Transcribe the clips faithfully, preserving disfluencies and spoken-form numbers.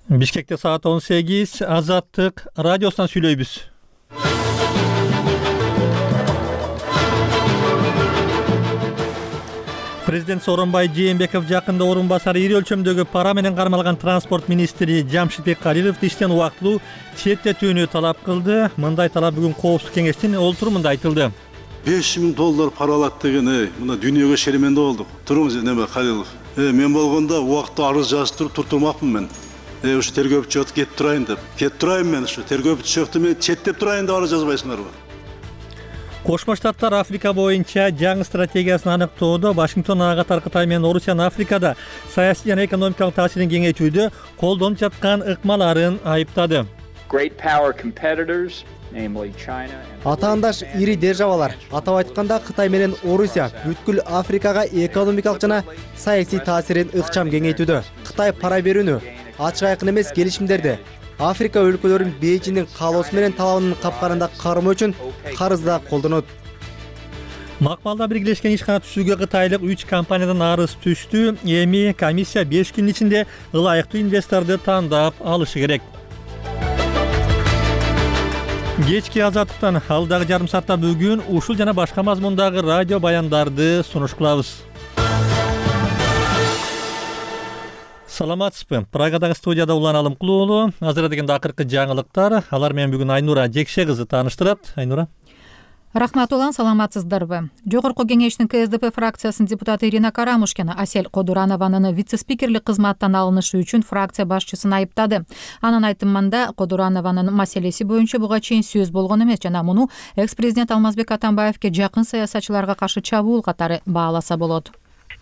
Бишкекте саат он сегиз. Азаттык радиосунан сүйлөйбүз. Президент Сооронбай Жээнбеков жакында орун басары ири өлчөмдөгү пара менен кармалган транспорт министри Жамшитбек Калиловду иштен убактылуу четтетүүнү талап кылды. Мындай талап бүгүн Коопсуздук кеңештин олтурумунда айтылды. беш миң доллар пара алат деген, эй, мына дүйнөгө шеременде болдук. Туруңуз, неме Калилов. Э, мен болгондо убакытта арыз жазып туруп туртурмакмын мен. Э, ушу тергөөчү жок кетип турайын деп. Кетип турайын мен ушу тергөөчү жокто мен четтеп турайын деп арыз жазбайсыңарбы? Кошмо Штаттар Африка боюнча жаңы стратегиясын аныктоодо Вашингтон ага катар Кытай менен Орусиянын Африкада саясий жана экономикалык таасирин кеңейтүүдө колдонуп жаткан ыкмаларын айыптады. Атаандаш ири державалар, атап айтканда Кытай менен Орусия бүткүл Африкага экономикалык жана саясий таасирин ыкчам кеңейтүүдө. Кытай пара берүүнү, ачык айкын эмес келишимдерди Африка өлкөлөрүн Бейжиңдин каалоосу менен талабынын капкарында кармоо үчүн карызда колдонот. Макмалда биргелешкен ишкана түзүүгө кытайлык үч компаниядан арыз түштү. Эми комиссия беш күн ичинде ылайыктуу инвесторду тандап алышы керек. Кечки Азаттыктан алдагы жарым саатта бүгүн ушул жана башка мазмундагы радио баяндарды сунуш кылабыз. Саламатсызбы? Прагадагы студияда Улан Алымкулуу. Азыр дегенде акыркы жаңылыктар. Алар менен бүгүн Айнура Жекше кызы тааныштырат. Айнура. Рахмат Улан, саламатсыздарбы? Жогорку кеңештин Ка Эс Ди Пи фракциясынын депутаты Ирина Карамушкина Асель Кодуранованын вице-спикерлик кызматтан алынышы үчүн фракция башчысын айыптады. Анын айтымында Кодуранованын маселеси боюнча буга чейин сөз болгон эмес жана муну экс-президент Алмазбек Атамбаевке жакын саясатчыларга каршы чабуул катары бааласа болот.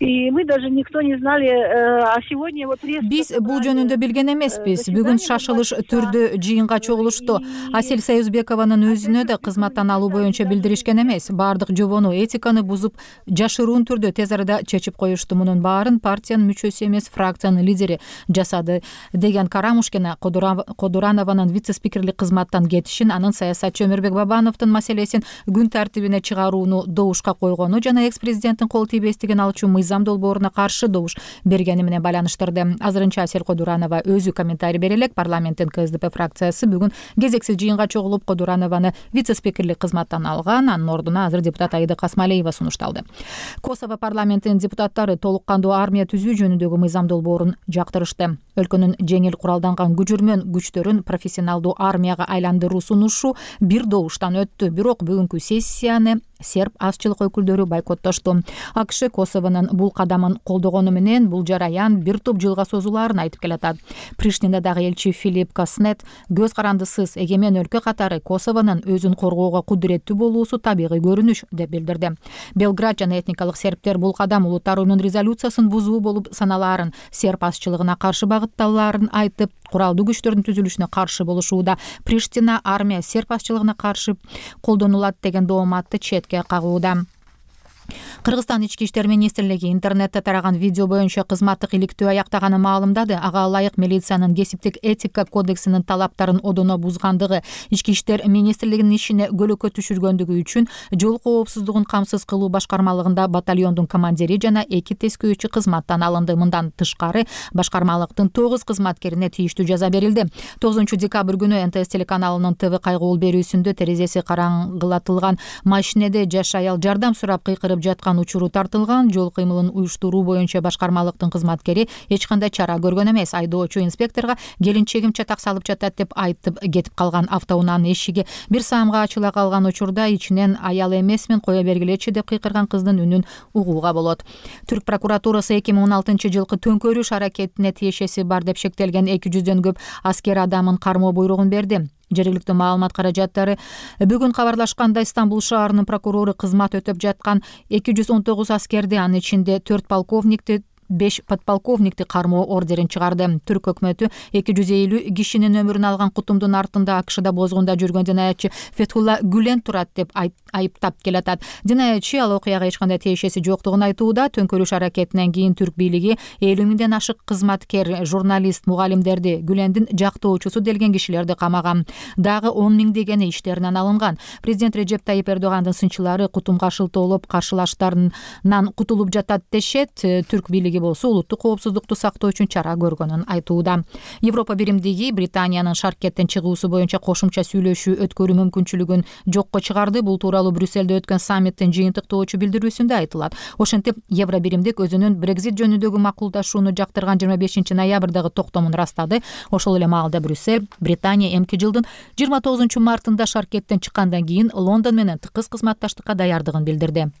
И мы даже никто не знали, а сегодня вот резко... Биз бул жөнүндө билген эмеспиз. Бүгүн шашылыш түрдө жыйынга чогулушту. Асель Союзбекованын өзүнө да кызматтан алуу боюнча билдиришкен эмес. Баардык жобону, этиканы бузуп, жашыруун түрдө тез арада чечип коюшту. Мунун баарын партиянын мүчөсү эмес, фракциянын лидери жасады деген Карамушкина Кодуранованын вице-спикерлик кызматтан кетишин, анын саясатчы Өмүрбек Бабановдун маселесин күн тартибине чыгарууну добушка койгону жана экс-президенттин кол тийбестигин алчу мыйзам долбооруна каршы добуш бергени менен байланыштырды. Азырынча Асель Кодуранова өзү комментарий бере элек. Парламенттин Ка Эс Ди Пи фракциясы бүгүн кезексиз жыйынга чогулуп Кодуранованы вице-спикерлик кызматтан алган. Анын ордуна азыр депутат Аида Касмалиева сунушталды. Косово парламентинин депутаттары толук кандуу армия түзүү жөнүндөгү мыйзам долбоорун жактырышты. Өлкөнүн жеңил куралданган күчүрмөн күчтөрүн профессионалдуу армияга айландыруу сунушу бир добуштан өттү. Бирок бүгүнкү сессияны серб азчылык өкүлдөрү бойкоттошту. А К Ш Косовонун бул кадамын колдогону менен бул жараян бир топ жылга созулаарын айтып келатат. Приштинадагы элчи Филипп Каснет көз карандысыз эгемен өлкө катары Косовонун өзүн коргоого кудуреттүү болуусу табигый көрүнүш деп билдирди. Белград жана этникалык сербтер бул кадам улуттар уюмунун резолюциясын бузуу болуп саналаарын, серб азчылыгына каршы багытталаарын айтып, куралдуу күчтөрдүн түзүлүшүнө каршы болушууда. Приштина армия серб азчылыгына каршы колдонулат деген дооматты четке кагууда. Кыргызстан ички иштер министрлиги интернетте тараган видео боюнча кызматтык иликтөө аяктаганын маалымдады. Ага ылайык милициянын кесиптик этика кодексинин талаптарын одоно бузгандыгы, ички иштер министрлигинин ишине көлөкө түшүргөндүгү үчүн жол коопсуздугун камсыз кылуу башкармалыгында батальондун командири жана эки тескөөчү кызматтан алынды. Мындан тышкары башкармалыктын тогуз кызматкерине тийиштүү жаза берилди. тогузунчу декабрь күнү Н Т С телеканалынын Т В кайгуул берүүсүндө терезеси караңгылатылган машинеде жаш аял жардам сурап кыйкырып жаткан учуру тартылган. Жол кыймылын уюштуруу боюнча башкармалыктын кызматкери эч кандай чара көргөн эмес. Айдоочу инспекторго келинчегим чатак салып жатат деп айтып кетип калган. Автоунаанын эшиги бир саамга ачыла калган учурда ичинен аял эмесмин, кое бергилечи деп кыйкырган кыздын үнүн угууга болот. Түрк прокуратурасы эки миң он алтынчы жылкы төңкөрүш аракетине тиешеси бар деп шектелген эки жүздөн көп аскер адамын кармоо буйругун берди. Жергиликтүү маалымат каражаттары бүгүн кабарлашкандай Стамбул шаарынын прокурору кызмат өтөп жаткан эки жүз он тогуз аскерди, анын ичинде төрт полковникти, беш подполковникти кармоо ордерин чыгарды. Түрк өкмөтү эки жүз элүү кишинин өмүрүн алган кутумдун артында А К Шда бозгунда жүргөн динаятчы Фетхулла Гүлен турат деп айыптап келатат. Динаятчы ал окуяга эч кандай тиешеси жоктугун айтууда. Төңкөрүш аракетинен кийин түрк бийлиги элүү миңден ашык кызматкер, журналист, мугалимдерди, Гүлендин жактоочусу делген кишилерди камаган. Дагы он миңдегени иштеринен алынган. Президент Реджеп Тайип Эрдогандын сынчылары кутумга шылтоолоп каршылаштарынан кутулуп жатат дешет. Түрк бийлиги биримдиги болсо улуттук коопсуздукту сактоо үчүн чара көргөнүн айтууда. Европа биримдиги Британиянын шаркеттен чыгуусу боюнча кошумча сүйлөшүү өткөрүү мүмкүнчүлүгүн жокко чыгарды. Бул тууралуу Брюссельде өткөн саммиттин жыйынтыктоочу билдирүүсүндө айтылат. Ошентип, Евро биримдик өзүнүн Брекзит жөнүндөгү макулдашууну жактырган жыйырма бешинчи ноябрдагы токтомун ырастады. Ошол эле маалда Брюссель Британия эмки жылдын жыйырма тогузунчу мартында шаркеттен чыккандан кийин Лондон менен тыкыз кызматташтыкка даярдыгын билдирди.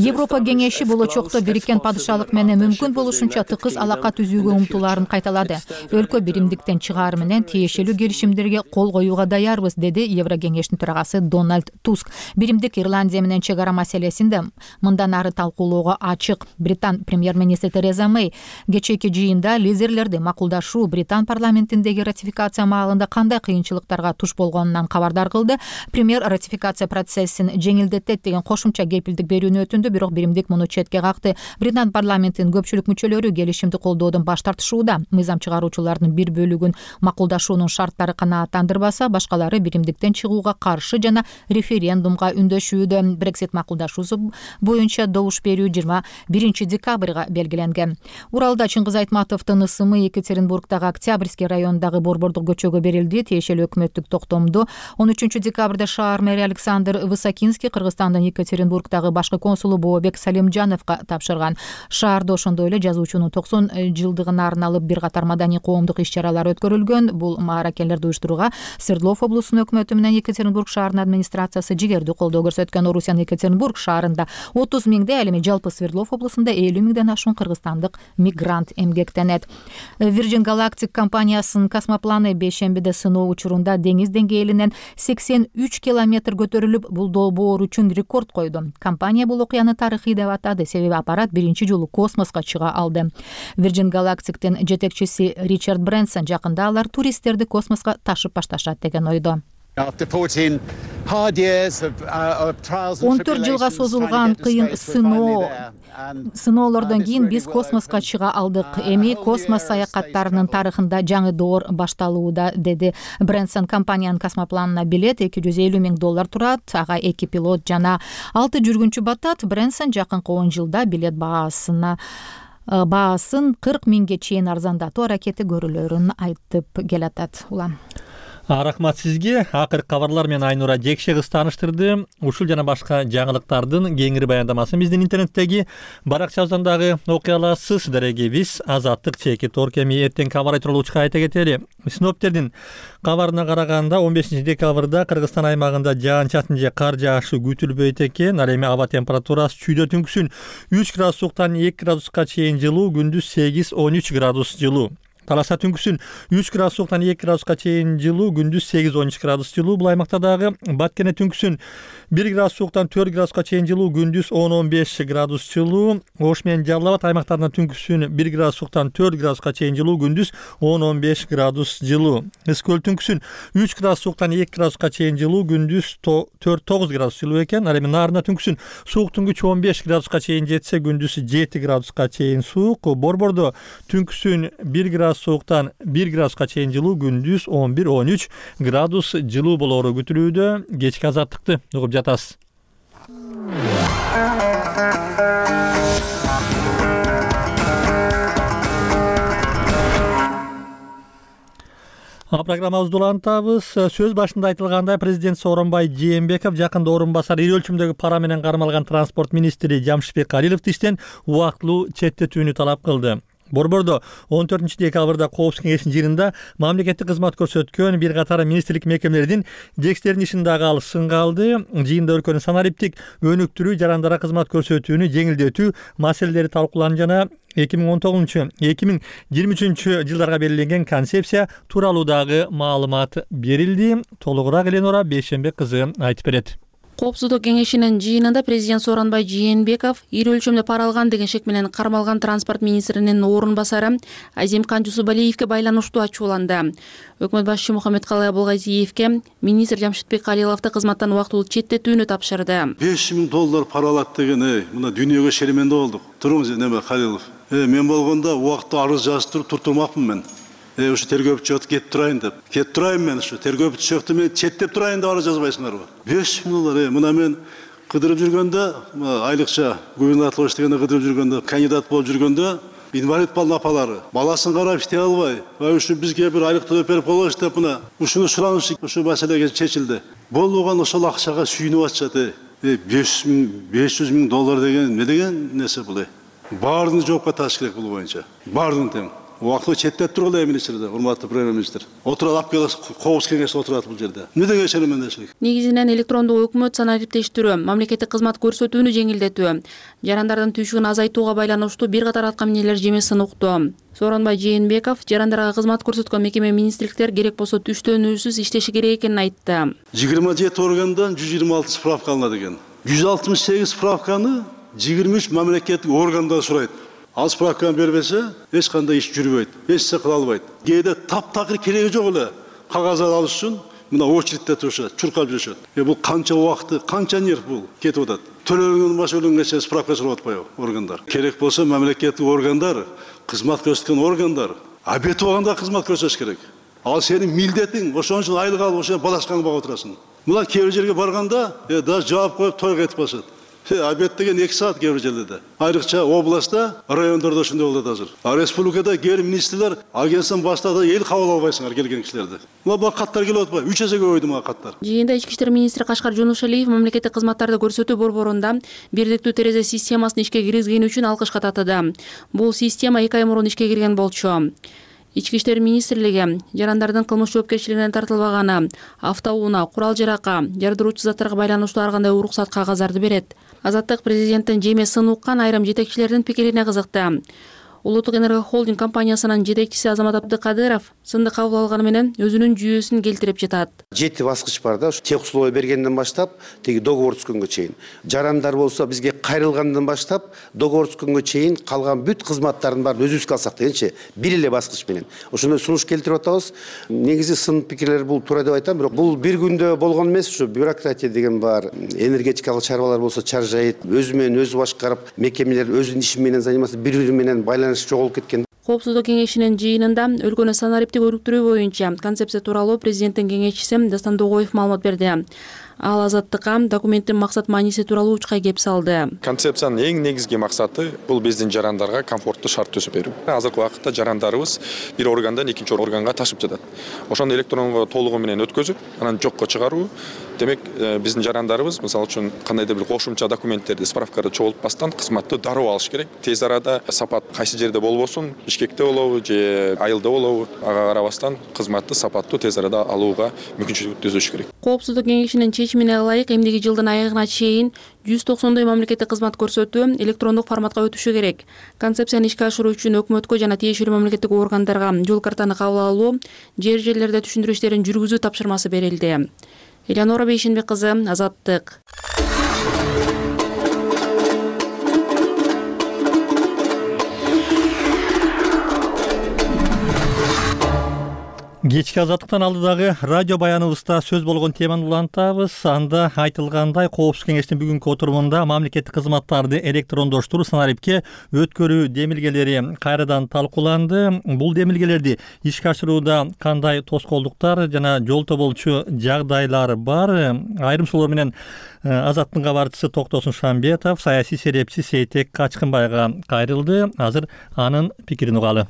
Европа кеңеши болочокто Бириккен падышалык менен мүмкүн болушунча тыкыз алака түзүүгө умтулаарын кайталады. Өлкө биримдиктен чыгаар менен тиешелүү келишимдерге кол коюуга даярбыз, деди Евро кеңештин төрагасы Дональд Туск. Биримдик Ирландия менен чек ара маселесинде мындан ары талкуулоого ачык. Британ премьер-министри Тереза Мэй кечээки жыйында лидерлерди макулдашуу Британ парламентиндеги ратификация маалында кандай кыйынчылыктарга туш болгонунан кабардар кылды. Премьер ратификация процессин жеңилдетет деген кошумча кепилдик берүүнү өтүндү, бирок биримдик муну четке какты. Британ парламентинин көпчүлүк мүчөлөрү келишимди колдоодон баш тартышууда. Мыйзам чыгаруучулардын бир бөлүгүн макулдашуунун шарттары канааттандырбаса, башкалары биримдиктен чыгууга каршы жана референдумга үндөшүүдө. Брексит макулдашуусу боюнча добуш берүү жыйырма биринчи декабрга белгиленген. Уралда Чыңгыз Айтматовдун ысымы Екатеринбургдагы Октябрьский районундагы борбордук көчөгө берилди. Тиешелүү өкмөттүк токтомду он үчүнчү декабрда шаар мэри Александр Высокинский Кыргызстандын Екатеринбургдагы башкы консулу Бообек Салимжановго тапшырган. Шаарда ошондой эле жазуучунун токсон жылдыгына арналып бир катар маданий коомдук иш-чаралар өткөрүлгөн. Бул мааракелерди уюштурууга Свердлов облусунун өкмөтү менен Екатеринбург шаарынын администрациясы жигердүү колдоо көрсөткөн. Орусиянын Екатеринбург шаарында отуз миңдей, ал эми жалпы Свердлов облусунда элүү миңден ашуун кыргызстандык мигрант эмгектенет. Virgin Galactic компаниясынын космопланы бейшембиде сыноо учурунда деңиз деңгээлинен сексен үч километр көтөрүлүп, бул долбоор үчүн рекорд койду. Компания бул окуяны тарыхый деп атады, себеби аппарат биринчи жолу космоско чыга алды. Virgin Galactic'тин жетекчиси Ричард Брэнсон жакында алар туристтерди космоско ташып башташат деген ойдо. он төрт жылга созулган кыйын сыноо сыноолордон кийин биз космоско чыга алдык. Эми космос саякаттарынын тарыхында жаңы доор башталууда, деди Брэнсон. Компаниянын космопланына билет эки жүз элүү миң доллар турат, ага эки пилот жана алты жүргүнчү батат. Брэнсон жакынкы он жылда билет баасына баасын кырк миңге чейин арзандатуу аракети көрүлөрүн айтып келатат. Улан Рахмат сизге. Акыркы кабарлар менен Айнура Жекше кыз тааныштырды. Ушул жана башка жаңылыктардын кеңири баяндамасын биздин интернеттеги баракчабыздан дагы окуй аласыз. Сиздерге Азаттык чеки Торкеми эртең кабар айтылуу айта кетели. Синоптиктердин кабарына караганда он бешинчи декабрда Кыргызстан аймагында жаан-чачын же кар жаашы күтүлбөйт экен. Ал эми аба температурасы чүйдө түнкүсүн үч градустан эки градуска чейин жылуу, күндүз сегиз он үч градус жылуу. Таласа түнкүсүн үч градустан эки градуска чейин жылуу, күндүз сегиз он үч градус жылуу. Бул аймакта дагы Баткене түнкүсүн бир градустан төрт градуска чейин жылуу, күндүз он он беш градус жылуу. Ош менен Жалал Абад аймактарында түнкүсүн бир градустан төрт градуска чейин жылуу, күндүз он он беш градус жылуу. Ысык көл түнкүсүн үч градустан эки градуска чейин жылуу, күндүз төрт тогуз градус жылуу экен. Ал эми Нарында түнкүсүн сууктун күчү он беш градуска чейин жетсе, күндүз жети градуска чейин суук. Борбордо түнкүсүн бир градус сууктан бир градуска чейин жылуу, күндүз он бир он үч градус жылуу болоору күтүлүүдө. Кечки азаттыкты угуп жатасыз. Программабызды улантабыз. Сөз башында айтылгандай, президент Сооронбай Жээнбеков жакында орун басар ири өлчөмдөгү пара менен кармалган транспорт министри Жамшитбек Калиловду иштен убактылуу четтетүүнү талап кылды. Борбордо он төртүнчү декабрда Коопсуздук кеңешинин жыйынында мамлекеттик кызмат көрсөткөн бир катар министрлик мекемелердин жетекчилеринин ишин дагы алып сынга алды. Жыйында өлкөнү санариптик өнүктүрүү, жарандара кызмат көрсөтүүнү жеңилдетүү маселелери талкууланды жана эки миң он тогузунчу эки миң жыйырма үчүнчү жылдарга белгиленген концепция тууралуу дагы маалымат берилди. Толугураак Эленора Бейшембек кызы айтып берет. Коопсуздук кеңешинин жыйынында президент Сооронбай Жээнбеков ири өлчөмдө пара алган деген шек менен кармалган транспорт министринин орун басары Азимкан Жусупалиевге байланыштуу ачууланды. Өкмөт башчысы Мухаммедкалый Абулгазиевке министр Жамшитбек Калиловду кызматтан убактылуу четтетүүнү тапшырды. беш миң доллар пара алат деген, эй, мына дүйнөгө шеременде болдук. Туруңуз, неме Калилов. Э, мен болгондо убакта арыз жазып туруп туртурмакмын мен. Э, ушу тергөөчү жок кетип турайын деп. Кетип турайын мен ушу тергөөчү жокто мен четтеп турайын деп арыз жазбайсыңарбы? беш миң доллар, э, мына мен кыдырып жүргөндө, айлыкча губернатор иштегенде кыдырып жүргөндө, кандидат болуп жүргөндө инвалид балдын апалары баласын карап иштей албай, ушул бизге бир айлык төлөп берип коелуш деп мына ушуну сураныш ушул маселеге чечилди. Болбогон ошол акчага сүйүнүп атышат. беш жүз миң доллар деген не деген нерсе бул? Баарын жоопко тартыш керек бул боюнча. Баарын тең. Убактылуу четтеп тургула министрде, урматтуу премьер-министр. Отурат алып келип кобуз кеңеште отурат бул жерде. Эмне деген шеремендешилик? Негизинен электрондук өкмөт санариптештирүү, мамлекеттик кызмат көрсөтүүнү жеңилдетүү, жарандардын түйшүгүн азайтууга байланыштуу бир катар аткан эмнелер жемесин укту. Сооронбай Жээнбеков жарандарга кызмат көрсөткөн мекеме министрликтер керек болсо түштөнүүсүз иштеши керек экенин айтты. жыйырма жети органдан жүз жыйырма алты справка алынат экен. жүз алтымыш сегиз справканы жыйырма үч мамлекеттик органдар сурайт. Ал справканы бербесе, эч кандай иш жүрбөйт, эч нерсе кыла албайт. Кээде таптакыр кереги жок эле кагаздар алыш үчүн мына очередте турушат, чуркап жүрүшөт. Э бул канча убакты, канча нерв бул кетип атат. Төлөнгөн баш өлөнгөнчө справка сурап атпайбы органдар? Керек болсо мамлекеттик органдар, кызмат көрсөткөн органдар, обед убагында кызмат көрсөтүш керек. Ал сенин милдетиң, ошон үчүн айлык алып ошо балачкаңды багып отурасың. Мына кээ бир жерге барганда, э даже жаап коюп тойго кетип калышат. Обед деген эки саат кээ бир жерлерде. Айрыкча областта, райондордо ошондой болот азыр. А республикада кээ бир министрлер агенттен баштады, эл кабыл албайсыңар келген кишилерди. Мына бул каттар келип атпайбы? үч эсе көбөйдү мына каттар. Жыйында ички иштер министри Кашкар Жунушалиев мамлекеттик кызматтарды көрсөтүү борборунда бирдиктүү терезе системасын ишке киргизгени үчүн алкышка татыды. Бул система эки ай мурун ишке кирген болчу. Ички иштер министрлиги жарандардын кылмыш жоопкерчилигине тартылбаганы, автоунаа, курал-жаракка, жардыруучу заттарга байланыштуу ар кандай уруксат кагаздарды берет. Азаттык президенттин жеме сын уккан айрым жетекчилердин пикирине кызыкты. Улуттук энерго холдинг компаниясынын жетекчиси Азамат Абдыкадыров сынды кабыл алганы менен өзүнүн жүйөсүн келтирип жатат. Жети баскыч бар да, ушу тех условия бергенден баштап, теги договор түзгөнгө чейин. Жарандар болсо бизге кайрылгандан баштап, договор түзгөнгө чейин калган бүт кызматтардын баарын өзүбүзгө алсак дегенчи, бир эле баскыч менен. Ошондой сунуш келтирип атабыз. Негизи сын пикирлер бул туура деп айтам, бирок бул бир күндө болгон эмес, ушу бюрократия деген бар. Энергетикалык чарбалар болсо чаржайт, өзү менен өзү башкарып, мекемелер өзүнүн иши менен заниматься, бири-бири менен байланыш жоголуп кеткен. Коопсуздук кеңешинин жыйынында өлкөнү санариптик өрүктүрүү боюнча концепция тууралуу президенттин кеңешчиси Дастан Догоев маалымат берди. Ал Азаттыкка документтин максат мааниси тууралуу учкай кеп салды. Концепциянын эң негизги максаты бул биздин жарандарга комфорттуу шарт түзүп берүү. Азыркы убакытта жарандарыбыз бир органдан экинчи органга ташып жатат. Ошону электронго толугу менен өткөзүп, анан жокко чыгаруу. Демек, биздин жарандарыбыз, мисалы үчүн, кандайдыр бир кошумча документтерди справкада чогултпастан кызматты дароо алыш керек. Тез арада сапат кайсы жерде болбосун, Бишкекте болобу же Айылда болобу, ага карабастан кызматты сапаттуу тез арада алууга мүмкүнчүлүк түзүш керек. Коопсуздук кеңешинин чечимине ылайык эмдиги жылдын айыгына чейин жүз токсондой мамлекеттик кызмат көрсөтүү электрондук форматка өтүшү керек. Концепцияны ишке ашыруу үчүн өкмөткө жана тиешелүү мамлекеттик органдарга жол картаны кабыл алуу, жер жерлерде түшүндүрүү иштерин жүргүзүү тапшырмасы берилди. Элеонора Бейшенбек кызы, Азаттык. Кечки Азаттыктан алдыдагы радио баяныбызда сөз болгон теманы улантабыз. Анда айтылгандай, Коопсуздук кеңештин бүгүнкү отурумунда мамлекеттик кызматтарды электрондоштуруу, санарипке өткөрүү демилгелери кайрадан талкууланды. Бул демилгелерди ишке ашырууда кандай тоскоолдуктар жана жол тоболчу жагдайлар бар? Айрым суроолор менен Азаттыктын кабарчысы Токтосун Шамбетов саясий серепчи Сейтек Качкынбайга кайрылды. Азыр анын пикирин угалы.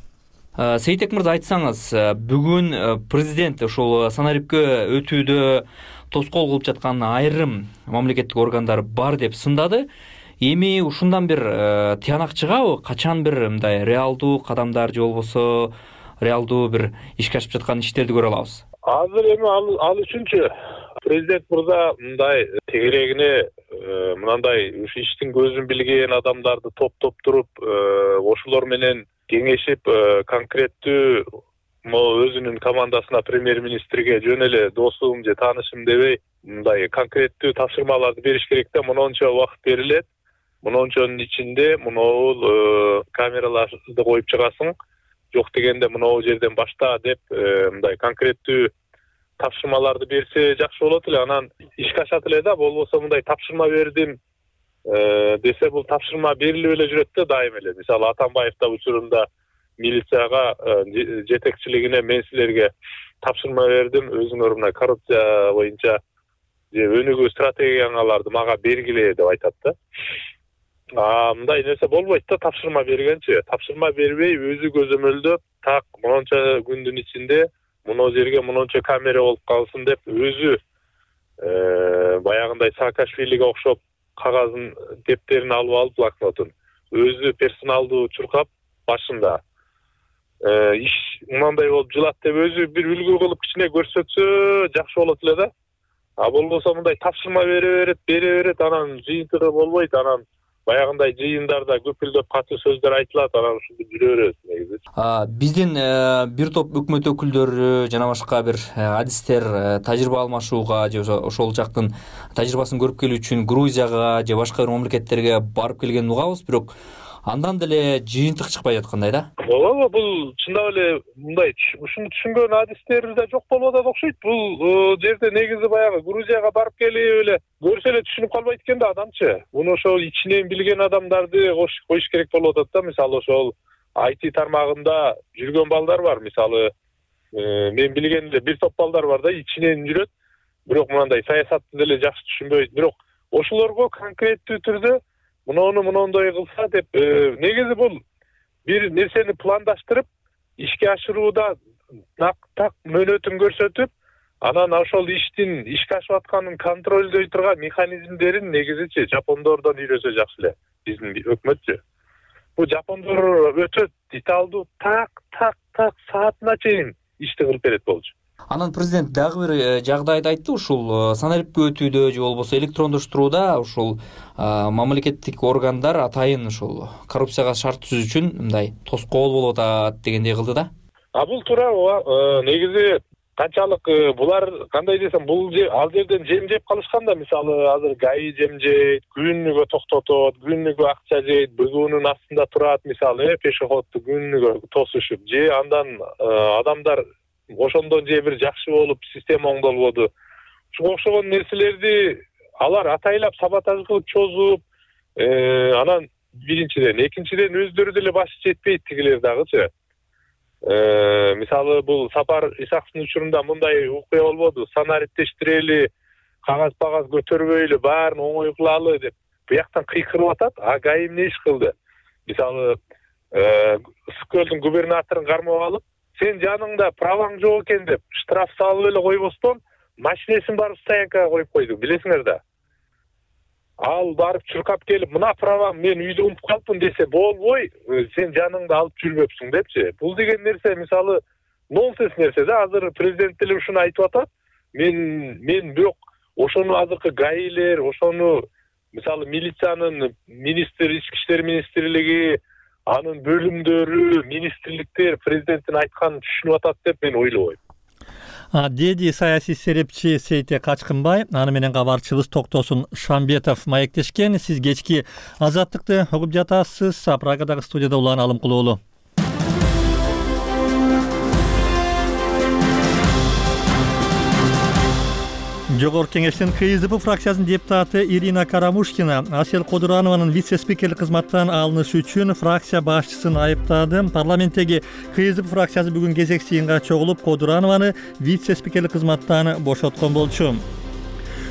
Сейтек мырза, айтсаңыз, бүгүн президент ушул санарипке өтүүдө тоскоол кылып жаткан айрым мамлекеттик органдар бар деп сындады. Эми ушундан бир тыянак чыгабы? Качан бир мындай реалдуу кадамдар же болбосо реалдуу бир ишке ашып жаткан иштерди көрө алабыз? Азыр эми ал үчүнчү президент мырза мындай тегерегине мындай ушу иштин көзүн билген адамдарды топтоп туруп, ошолор менен кеңешип, конкреттүү өзүнүн командасына, премьер-министрге жөн эле досум же таанышым дебей, мындай конкреттүү тапшырмаларды бериш керек да. Монончо убакыт берилет. Монончонун ичинде монол камераларды коюп чыгасың. Жок дегенде монол жерден башта деп мындай конкреттүү тапшырмаларды берсе жакшы болот эле. Анан ишке ашат эле да. Болбосо мындай тапшырма бердим десе, бул тапшырма берилип эле жүрөт да дайым эле. Мисалы Атамбаев да учурунда милицияга жетекчилигине мен силерге тапшырма бердим, өзүңөр мына коррупция боюнча же өнүгүү стратегияңарды мага бергиле деп айтат да. А мындай нерсе болбойт да, тапшырма бергенчи. Тапшырма бербей өзү көзөмөлдөп, так монча күндүн ичинде мына жерге монча камера болуп калсын деп өзү баягындай Саакашвилиге окшоп кагазын, дептерин алып алып, блокнотун өзү персоналдуу чуркап башында иш мындай болуп жылат деп өзү бир үлгү кылып кичине көрсөтсө жакшы болот эле да. А болбосо мындай тапшырма бере берет, бере берет, анан жыйынтыгы болбойт, анан баягындай жыйындарда көпүлдөп катуу сөздөр айтылат, анан ушинтип жүрө берет негизи. Биздин бир топ өкмөт өкүлдөрү жана башка бир адистер тажрыйба алмашууга же ошол жактын тажрыйбасын көрүп келүү үчүн Грузияга же башка бир мамлекеттерге барып келгенин угабыз, бирок андан деле жыйынтык чыкпай жаткандай да. Ооба, бул чындап эле мындай ушуну түшүнгөн адистер да жок болуп атат окшойт. Бул жерде негизи баягы Грузияга барып келип эле көрсө эле түшүнүп калбайт экен да адамчы. Муну ошол ичинен билген адамдарды коюш керек болуп атат да. Мисалы ошол ай ти тармагында жүргөн балдар бар. Мисалы мен билген эле бир топ балдар бар да, ичинен жүрөт, бирок мындай саясатты деле жакшы түшүнбөйт. Бирок ошолорго конкреттүү түрдө муну мындай кылса деп, негизи бул бир нерсени пландаштырып ишке ашырууда так так мөөнөтүн көрсөтүп, анан ошол иштин ишке ашып атканын контролдой турган механизмдерин негизичи жапондордон үйрөнсө жакшы эле биздин өкмөтчү. Бул жапондор өтө деталдуу так так так саатына чейин ишти кылып берет болчу. Анан президент дагы бир жагдайды айтты, ушул санариптке өтүүдө же болбосо электрондоштурууда ушул мамлекеттик органдар атайын ушул коррупцияга шарт түзүү үчүн мындай тоскоол болуп атат дегендей кылды да. А бул туура, негизи канчалык булар кандай десем, бул ал жерден жем жеп калышкан да. Мисалы азыр ГАИ жем жейт, күнүгө токтотот, күнүгө акча жейт, бөгүүнүн астында турат, мисалы пешеходду күнүгө тосушуп, же андан адамдар ошондон же бир жакшы болуп система оңдолбоду. Ушуга окшогон нерселерди алар атайлап саботаж кылып чозуп, анан биринчиден, экинчиден өздөрү деле башы жетпейт тигилер дагычы. Мисалы бул Сапар Исаковдун учурунда мындай окуя болбоду. Санариптештирели, кагаз-багаз көтөрбөйлү, баарын оңой кылалы деп буяктан кыйкырып атат. А ГАИ эмне иш кылды? Мисалы Ысык көлдүн губернаторун кармап алып, сен жаныңда праваң жок экен деп штраф салып эле койбостон машинесин барып стоянкага коюп койду, билесиңер да. Ал барып чуркап келип, мына правам мен үйдө унутуп калыпмын десе болбой, сен жаныңда алып жүрбөпсүң депчи. Бул деген нерсе мисалы нонсенс нерсе да. Азыр президент деле ушуну айтып атат. Мен мен бирок ошону азыркы ГАИлер, ошону мисалы милициянын министр, ички иштер министрлиги, анын бөлүмдөрү, министрликтер президенттин айтканын түшүнүп атат деп мен ойлобойм. Деди саясий серепчи Сейте Качкынбай, аны менен кабарчыбыз Токтосун Шамбетов маектешкен. Сиз кечки Азаттыкты угуп жатасыз. Прагадагы студияда Улан Алымкулуулу. Жогорку кеңештин КСДП фракциясынын депутаты Ирина Карамушкина Асель Кодуранованын вице-спикерлик кызматтан алынышы үчүн фракция башчысын айыптады. Парламенттеги КСДП фракциясы бүгүн кезек жыйынга чогулуп, Кодуранованы вице-спикерлик кызматтан бошоткон болчу.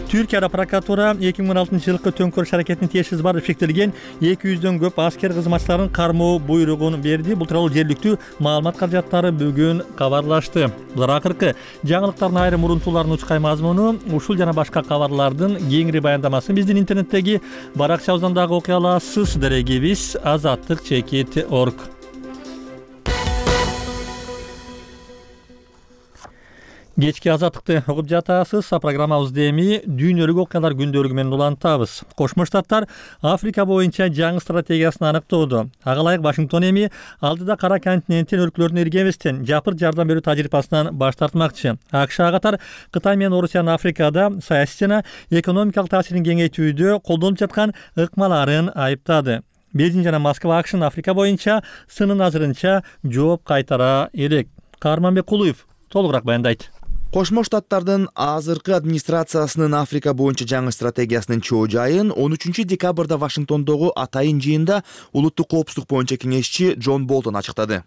Түркияда прокуратура эки миң он алтынчы жылкы төңкөрүш аракетине тиешеси бар деп шектелген эки жүздөн көп аскер кызматчыларын кармоо буйругун берди. Бул тууралуу жергиликтүү маалымат каражаттары бүгүн кабарлашты. Булар акыркы жаңылыктардын айрым урунтууларын учкай мазмуну. Ушул жана башка кабарлардын кеңири баяндамасын биздин интернеттеги баракчабыздан дагы окуй аласыз. Дарегибиз азаттык чекит точка орг. Кечки Азаттыкты угуп жатасыз. Программабызды эми дүйнөлүк окуялар күндөлүгү менен улантабыз. Кошмо Штаттар Африка боюнча жаңы стратегиясын аныктоодо. Ага ылайык Вашингтон эми алдыда кара континенттин өлкөлөрүнө эргебестен жапыр жардам берүү тажрыйбасынан баш тартмакчы. АКШга катар Кытай менен Орусиянын Африкада саясий жана экономикалык таасирин кеңейтүүдө колдонуп жаткан ыкмаларын айыптады. Бейжиң жана Москва АКШнын Африка боюнча сынын азырынча жооп кайтара элек. Каарманбек Кулуев толугураак баяндайт. Кошмо Штаттардын азыркы администрациясынын Африка боюнча жаңы стратегиясынын чоо жайын он үчүнчү декабрда Вашингтондогу атайын жыйында улуттук коопсуздук боюнча кеңешчи Джон Болтон ачыктады.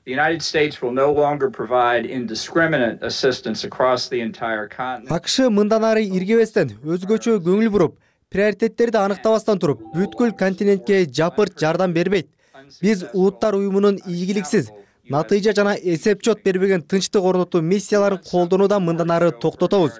АКШ мындан ары иргебестен, өзгөчө көңүл буруп, приоритеттерди аныктабастан туруп, бүткүл континентке жапырт жардам бербейт. Биз улуттар уюмунун ийгиликсиз, натыйжа жана эсеп-чот бербеген тынчтык орнотуу миссияларын колдонуудан мындан ары токтотобуз.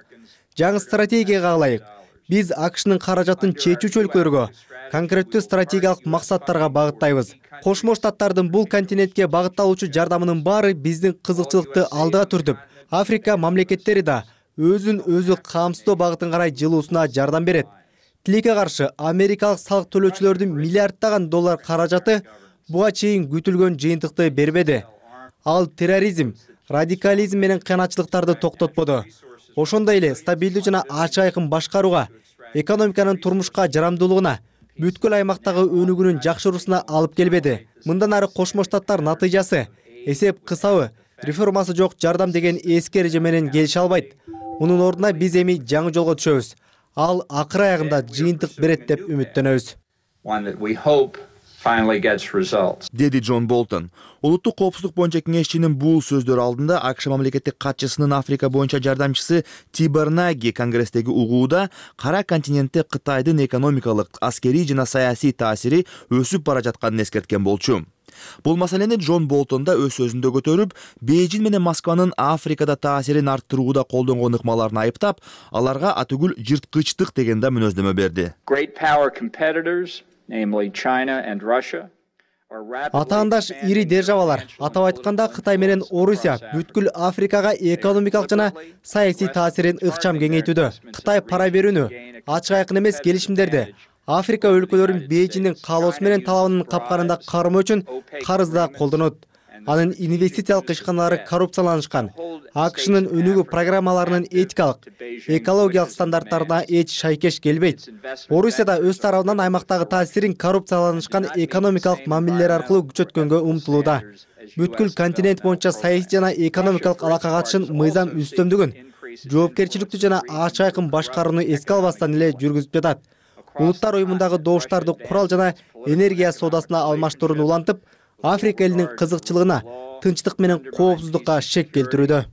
Жаңы стратегияга ылайык, биз АКШнын каражатын чечүүчү өлкөлөргө, конкреттүү стратегиялык максаттарга багыттайбыз. Кошмо Штаттардын бул континентке багытталуучу жардамынын баары биздин кызыкчылыкты алдыга түртүп, Африка мамлекеттери да өзүн өзү камсыздоо багытын карай жылуусуна жардам берет. Тилекке каршы америкалык салык төлөөчүлөрдүн миллиарддаган доллар каражаты буга чейин күтүлгөн жыйынтыкты бербеди. Ал терроризм, радикализм менен кыянатчылыктарды токтотподу. Ошондой эле стабилдүү жана ачык айкын башкарууга, экономиканын турмушка жарамдуулугуна, бүткүл аймактагы өнүгүүнүн жакшыруусуна алып келбеди. Мындан ары Кошмо Штаттар натыйжасы, эсеп кысабы, реформасы жок жардам деген эски эреже менен келише албайт. Мунун ордуна биз эми жаңы жолго түшөбүз. Ал акыр аягында жыйынтык берет деп үмүттөнөбүз. Деди Джон Болтон. Улуттук коопсуздук боюнча кеңешчинин бул сөздөрү алдында АКШ мамлекеттик катчысынын Африка боюнча жардамчысы Тибор Наги Конгресстеги угууда кара континентте Кытайдын экономикалык, аскерий жана саясий таасири өсүп бара жатканын эскерткен болчу. Бул маселени Джон Болтон да өз сөзүндө көтөрүп, Бейжин менен Москванын Африкада таасирин арттырууда колдонгон ыкмаларын айыптап, аларга атүгүл жырткычтык деген да мүнөздөмө берди. Атаандаш ири державалар, атап айтканда Кытай менен Орусия бүткүл Африкага экономикалык жана саясий таасирин ыкчам кеңейтүүдө. Кытай пара берүүнү, ачык айкын эмес келишимдерди Африка өлкөлөрүн Бейжиндин каалоосу менен талабынын капканында кармоо үчүн карызда колдонот. Анын инвестициялык ишканалары коррупцияланышкан. АКШнын өнүгүү программаларынын этикалык, экологиялык стандарттарына эч шайкеш келбейт. Орусияда өз тарабынан аймактагы таасирин коррупцияланышкан экономикалык мамилелер аркылуу күчөткөнгө умтулууда. Бүткүл континент боюнча саясий жана экономикалык алака катышын мыйзам үстөмдүгүн, жоопкерчиликтүү жана ачык айкын башкарууну эске албастан эле жүргүзүп жатат. Улуттар уюмундагы добуштарды курал жана энергия соодасына алмаштырууну улантып, Африка элинин кызыкчылыгына, тынчтык менен коопсуздукка шек келтирүүдө.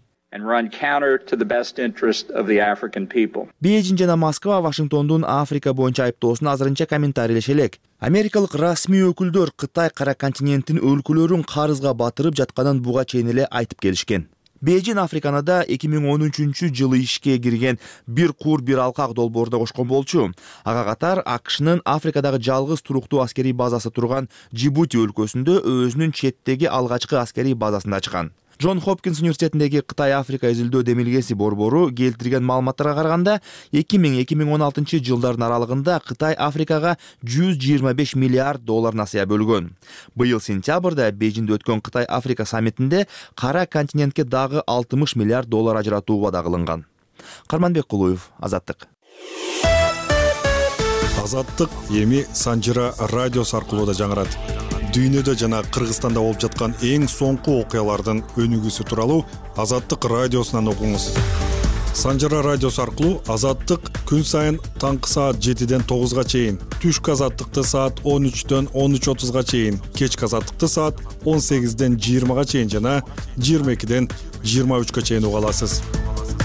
Бейжин жана Москва Вашингтондун Африка боюнча айыптоосун азырынча комментарийлеше элек. Америкалык расмий өкүлдөр Кытай кара континенттин өлкөлөрүн карызга батырып жатканын буга чейин эле айтып келишкен. Бейжин Африканада эки миң он үчүнчү жылы ишке кирген бир кур бир алкак долбоорду кошкон болчу. Ага катар АКШнын Африкадагы жалгыз туруктуу аскерий базасы турган Джибути өлкөсүндө өзүнүн четтеги алгачкы аскерий базасын ачкан. Джон Хопкинс университетиндеги Кытай-Африка изилдөө демилгеси борбору келтирген маалыматтарга караганда, эки миң эки миң он алтынчы жылдардын аралыгында Кытай Африкага жүз жыйырма беш миллиард доллар насыя бөлгөн. Быйыл сентябрда Бейжинде өткөн Кытай-Африка саммитинде кара континентке дагы алтымыш миллиард доллар ажыратуу убада кылынган. Карманбек Кулуев, Азаттык. Азаттык эми Санжыра радиосу аркылуу да жаңырат. Дүйнөдө жана Кыргызстанда болуп жаткан эң соңку окуялардын өнүгүүсү тууралуу Азаттык радиосунан окуңуз. Санжыра радиосу аркылуу Азаттык күн сайын таңкы саат жетиден тогузга чейин, түшкү Азаттыкты саат он үчтөн он үч отузга чейин, кечки Азаттыкты саат он сегизден жыйырмага чейин жана жыйырма экиден жыйырма үчкө чейин уга аласыз.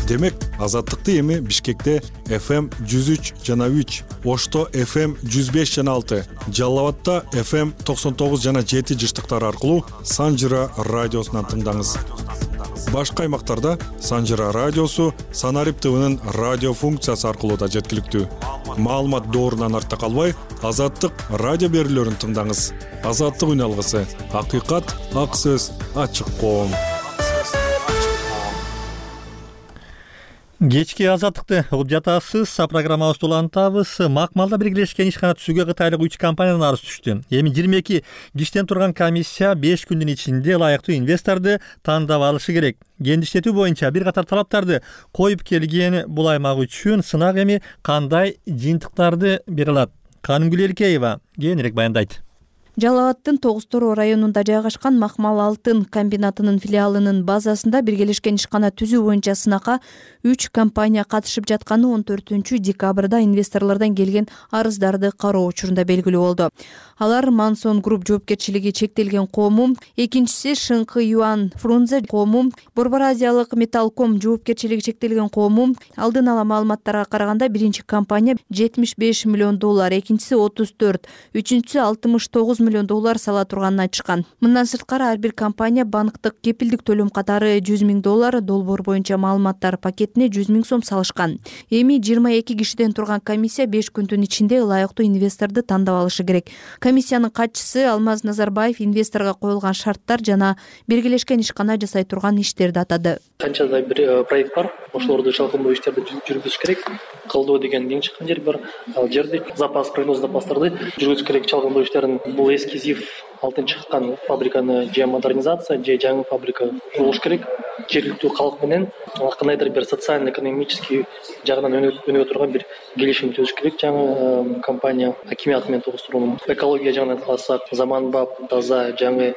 Демек, Азаттыкты эми Бишкекте эф эм жүз үч жана үч, Ошто эф эм жүз беш жана алты, Жалал Абадта эф эм токсон тогуз жана жети жыштыктары аркылуу Санжыра радиосунан тыңдаңыз. Башка аймактарда Санжыра радиосу Санарип ТВнын радио функциясы аркылуу да жеткиликтүү. Маалымат доорунан артта калбай, Азаттык радио берүүлөрүн тыңдаңыз. Азаттык үн алгысы, акыйкат, ак сөз, ачык коом. Кечки Азаттыкты угуп жатасыз. Программабызды улантабыз. Макмалда биргелешкен ишкана түзүүгө кытайлык үч компаниянын арызы түштү. Эми жыйырма эки киштен турган комиссия беш күндүн ичинде ылайыктуу инвесторду тандап алышы керек. Кендиштетүү боюнча бир катар талаптарды коюп келген бул аймак үчүн сынак эми кандай жыйынтыктарды бере алат? Канымгүл Элкеева кийинирээк баяндайт. Жалал Абадтын Тогуз Тороо районунда жайгашкан Макмал алтын комбинатынын филиалынын базасында биргелешкен ишкана түзүү боюнча сынакка үч компания катышып жатканы он төртүнчү декабрда инвесторлордон келген арыздарды кароо учурунда белгилүү болду. Алар Мансон Групп жоопкерчилиги чектелген коому, экинчиси Шыңкы Юан Фрунзе коому, Борбор Азиялык Металлком жоопкерчилиги чектелген коому. Алдын ала маалыматтарга караганда биринчи компания жетимиш беш миллион доллар, экинчиси отуз төрт, үчүнчүсү алтымыш тогуз миллион доллар сала турганын айтышкан. Мындан сырткары ар бир компания банктык кепилдик төлөм катары жүз миң доллар, долбоор боюнча маалыматтар пакетине жүз миң сом салышкан. Эми жыйырма эки кишиден турган комиссия беш күндүн ичинде ылайыктуу инвесторду тандап алышы керек. Комиссиянын катчысы Алмаз Назарбаев инвесторго коюлган шарттар жана биргелешкен ишкана жасай турган иштерди атады. Канчадай бир проект бар, ошолорду чалкындоо иштерди жүргүзүш керек. Кылдоо деген эң чыккан жер бар. Ал жерде запас, прогноз запастарды жүргүзүш керек. Чалкындоо иштерин бул эскизив алтын чыккан фабриканы же модернизация, же жаңы фабрика курулуш керек. Жергиликтүү калк менен кандайдыр бир социально-экономический жагынан өнүгө турган бир келишим түзүш керек. Жаңы компания акимият менен Тогуз Тороонун экология жагынан алсак, заманбап, таза, жаңы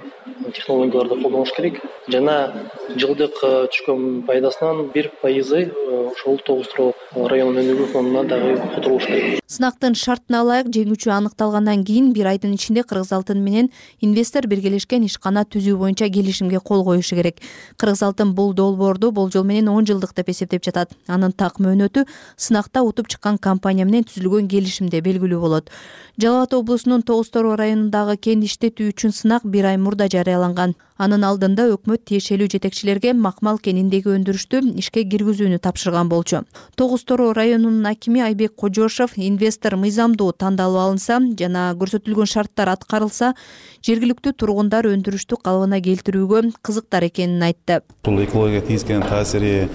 технологияларды колдонуш керек. Жана жылдык түшкөн пайдасынан бир пайызы ошол Тогуз Тороо районунун өнүгүү фондуна дагы которулуш керек. Сынактын шартына ылайык жеңүүчү аныкталгандан кийин бир айдын ичинде Кыргыз алтын менен инвестор биргелешкен ишкана түзүү боюнча келишимге кол коюшу керек. Кыргыз алтын бул долбоорду болжол менен он жылдык деп эсептеп жатат. Анын так мөөнөтү сынакта утуп чыккан компания менен түзүлгөн келишимде белгилүү болот. Жалал Абад облусунун Тогуз Тороо районундагы кен иштетүү үчүн сынак бир ай мурда жарыяланган. Анын алдында өкмөт тиешелүү жетекчилерге Макмал кениндеги өндүрүштү ишке киргизүүнү тапшырган болчу. Тогуз Тороо районунун акими Айбек Кожошов инвестор мыйзамдуу тандалып алынса жана көрсөтүлгөн шарттар аткарылса, жергиликтүү тургундар өндүрүштү калыбына келтирүүгө кызыктар экенин айтты. Бул экологияга тийгизген таасири,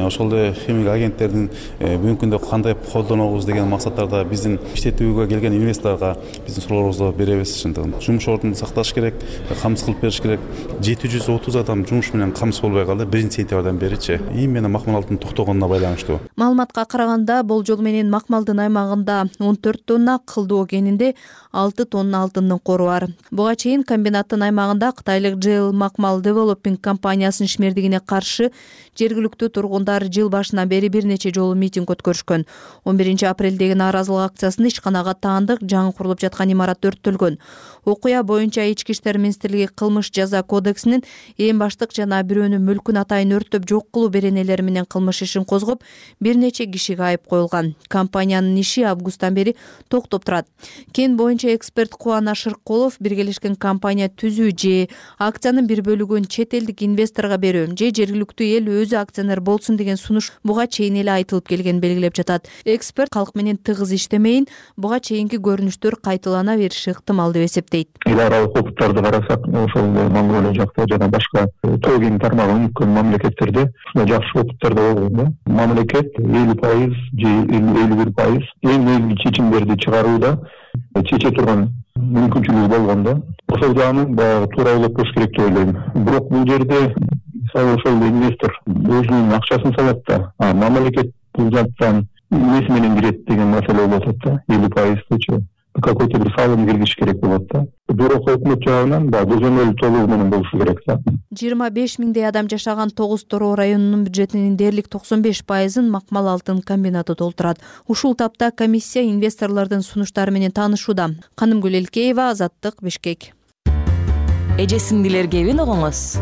ошол эле химик агенттердин бүгүнкү күндө кандай колдонобуз деген максаттарда биздин иштетүүгө келген инвесторго биздин суроолорубузду беребиз. Жумуш ордун сакташ керек, камсыз кылып бериш керек. жети жүз отуз адам жумуш менен камсыз болбой калды биринчи сентябрдан беричи. Эми менен Макмал алтын токтогонуна байланыштуу. Маалыматка караганда болжол менен Макмалдын аймагында он төрт тонна, Кылдоо кенинде алты тонна алтындын кору бар. Буга чейин комбинаттын аймагында кытайлык джей эл Макмал Developing компаниясынын ишмердигине каршы жергиликтүү тургундар жыл башынан бери бир нече жолу митинг өткөрүшкөн. он биринчи апрелдеги нааразылык акциясында ишканага таандык жаңы курулуп жаткан имарат өрттөлгөн. Окуя боюнча Ички иштер министрлиги кылмыш жаза кодексинин эң баштык жана бирөөнүн мүлкүн атайын өрттөп жок кылуу беренелери менен кылмыш ишин козгоп, бир нече кишиге айып коюлган. Компаниянын иши августтан бери токтоп турат. Кен боюнча эксперт Кубана Шырккулов биргелешкен компания түзүү же акциянын бир бөлүгүн чет элдик инвесторго берүү же жергиликтүү эл өзү акционер болсун деген сунуш буга чейин эле айтылып келгенин белгилеп жатат. Эксперт калк менен тыгыз иштемейин, буга чейинки көрүнүштөр кайталана бериши ыктымал деп эсептейт. Эл аралык опыттарды карасак, ошол Монголия жакта жана башка тоо кен тармагын өткөн мамлекеттерде ушундай жакшы опыттар да болгон да. Мамлекет элүү пайыз же элүү бир пайыз эң негизги чечимдерди чыгарууда чече турган мүмкүнчүлүгү болгон да. Ошол жагын баягы туура ойлоп коюш керек деп ойлойм. Бирок бул жерде мисалы ошол инвестор өзүнүн акчасын салат да, а мамлекет бул жактан эмеси менен кирет деген маселе болуп атат да. элүү пайыздычы какой-то бир салым киргизиш керек болот да. Бирок өкмөт жагынан да көзөмөл толугу менен болушу керек да. жыйырма беш миңдей адам жашаган Тогуз Тороо районунун бюджетинин дээрлик токсон беш пайызын Макмал алтын комбинаты толтурат. Ушул тапта комиссия инвесторлордун сунуштары менен таанышууда. Канымгүл Элкеева, Азаттык, Бишкек. Эже сиңдилерге эбин огоңуз.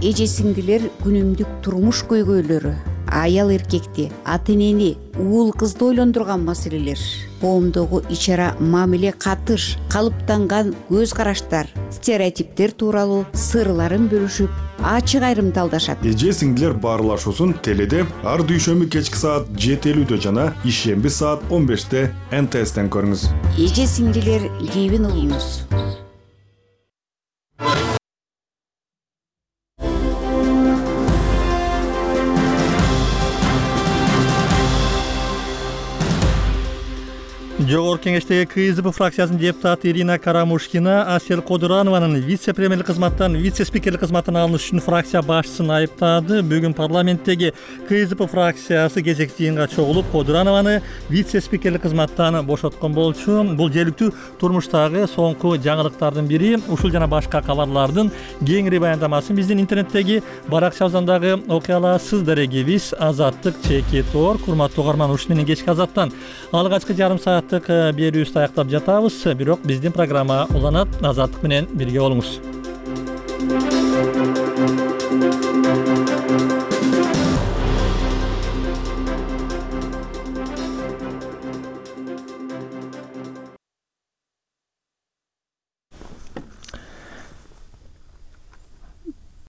Эже сиңдилер күнүмдүк турмуш көйгөйлөрү, аял эркекти, ата энени, уул кызды ойлондурган маселелер, коомдогу ичара мамиле катыш, калыптанган көз караштар, стереотиптер тууралуу сырларын бөлүшүп, ачык айрымдалдашат. Эже сиңдилер баарлашуусун теледе ар дүйшөмбү кечки саат жети элүүдө жана ишемби саат он беште эн тэ эстен көрүңүз. Эже сиңдилер кебин угуңуз. Жогорку кеңештеги КСДП фракциясынын депутаты Ирина Карамушкина Асель Кодуранованын вице-премьерлик кызматтан вице-спикерлик кызматтан алыныш үчүн фракция башчысын айыптады. Бүгүн парламенттеги КСДП фракциясы кезектүү жыйынга чогулуп, Кодуранованы вице-спикерлик кызматтан бошоткон болчу. Бул жергиликтүү турмуштагы соңку жаңылыктардын бири. Ушул жана башка кабарлардын кеңири баяндамасын биздин интернеттеги баракчабыздагы окуяларсыз дарегибиз Азаттык чеки тор. Курматтуу угарман, ушун менен кечки Азаттан алгачкы жарым сааттык берүүбүздү аяктап жатабыз. Бирок биздин программа уланат. Азаттык менен бирге болуңуз.